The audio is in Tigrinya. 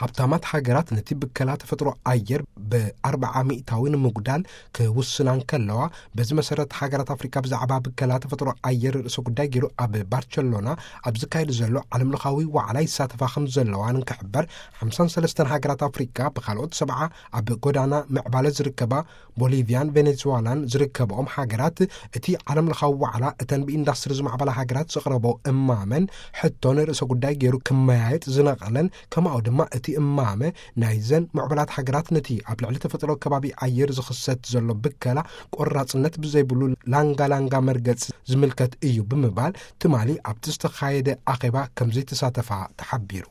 ሃብታማት ሃገራት ነቲ ብከላ ተፈጥሮ ኣየር ብኣርብዓ ሚእታዊ ንምጉዳል ክውስና እንከለዋ፣ በዚ መሰረት ሃገራት ኣፍሪካ ብዛዕባ ብከላ ተፈጥሮ ኣየር ርእሰ ጉዳይ ገይሩ ኣብ ባርቸሎና ኣብ ዝካየድ ዘሎ ዓለም ለኻዊ ዋዕላ ይሳተፋ ከም ዘለዋ እንክሕበር፣ ሓምሳን ሰለስተን ሃገራት ኣፍሪካ ብካልኦት ሰብዓ ኣብ ጎዳና ምዕባለ ዝርከባ ቦሊቪያን ቬኔዙዋላን ዝርከብኦም ሃገራት፣ እቲ ዓለም ለኻዊ ዋዕላ እተን ብኢንዳስትሪ ዝማዕበላ ሃገራት ዘቕረቦ እማመን ሕቶን ርእሰ ጉዳይ ገይሩ ክመያየጥ ዝነቐለን፣ ከማኡ ድማ እቲ እማመ ናይዘን ምዕቡላት ሃገራት ነቲ ኣብ ልዕሊ ተፈጥሮ ከባቢ ኣየር ዝኽሰት ዘሎ ብከላ ቆራጽነት ብዘይብሉ ላንጋ ላንጋ መርገጽ ዝምልከት እዩ ብምባል፣ ትማሊ ኣብቲ ዝተኻየደ ኣኼባ ከምዘይተሳተፋ ተሓቢሩ።